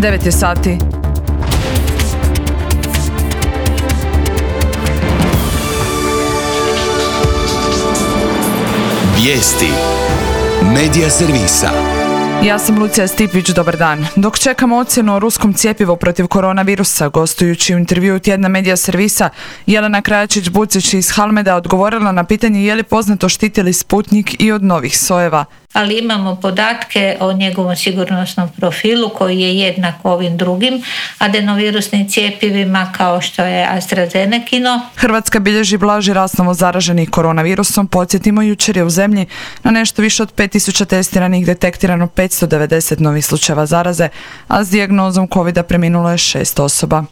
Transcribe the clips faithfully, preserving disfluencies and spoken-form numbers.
devet je sati. Vijesti Medija servisa. Ja sam Lucija Stipić, dobar dan. Dok čekamo ocjenu o ruskom cjepivu protiv koronavirusa, gostujući u intervjuu tjedna Medija servisa, Jelena Krajačić-Bucić iz Halmeda odgovorila na pitanje je li poznato štiti li Sputnik i od novih sojeva. Ali imamo podatke o njegovom sigurnosnom profilu koji je jednak ovim drugim adenovirusnim cjepivima kao što je AstraZenekino. Hrvatska bilježi blaži rast novo zaraženih koronavirusom. Podsjetimo, jučer je u zemlji na nešto više od pet tisuća testiranih detektirano petsto devedeset novih slučajeva zaraze, a s dijagnozom covida preminulo je šest osoba.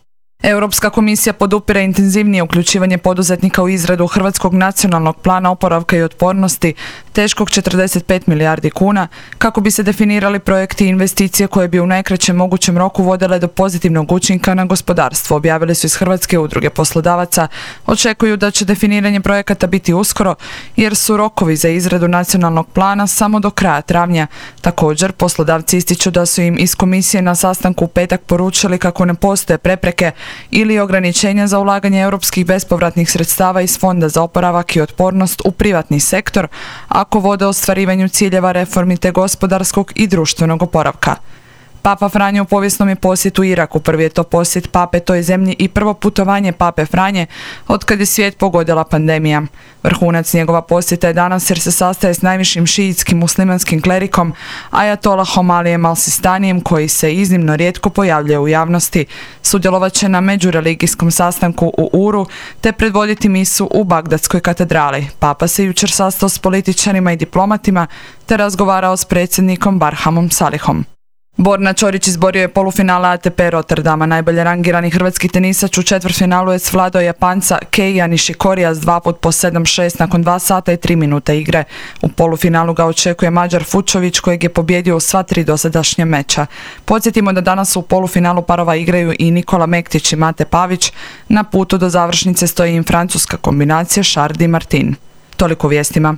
Europska komisija podupire intenzivnije uključivanje poduzetnika u izradu Hrvatskog nacionalnog plana oporavka i otpornosti teškog četrdeset pet milijardi kuna kako bi se definirali projekti i investicije koje bi u najkraćem mogućem roku vodile do pozitivnog učinka na gospodarstvo, objavili su iz Hrvatske udruge poslodavaca. Očekuju da će definiranje projekata biti uskoro jer su rokovi za izradu nacionalnog plana samo do kraja travnja. Također, poslodavci ističu da su im iz komisije na sastanku u petak poručili kako ne postoje prepreke ili ograničenja za ulaganje europskih bespovratnih sredstava iz Fonda za oporavak i otpornost u privatni sektor ako vode ostvarivanju ciljeva reformi te gospodarskog i društvenog oporavka. Papa Franjo u povijesnom je posjetu Iraku. Prvi je to posjet pape toj zemlji i prvo putovanje pape Franje otkad je svijet pogodila pandemija. Vrhunac njegova posjeta je danas jer se sastaje s najvišim šiitskim muslimanskim klerikom Ajatolahom Alijem Al-Sistanijem koji se iznimno rijetko pojavljuje u javnosti. Sudjelovat će na međureligijskom sastanku u Uru te predvoditi misu u Bagdadskoj katedrali. Papa se jučer sastao s političarima i diplomatima te razgovarao s predsjednikom Barhamom Salihom. Borna Ćorić izborio je polufinale A T P Rotterdama. Najbolje rangirani hrvatski tenisač u četvrtfinalu je svladao Japanca Keija Nishikorija s dva put po sedam šest nakon dva sata i tri minute igre. U polufinalu ga očekuje Mađar Fučović kojeg je pobijedio u sva tri dosadašnja meča. Podsjetimo da danas u polufinalu parova igraju i Nikola Mektić i Mate Pavić. Na putu do završnice stoji im francuska kombinacija Chardy Martin. Toliko u vijestima.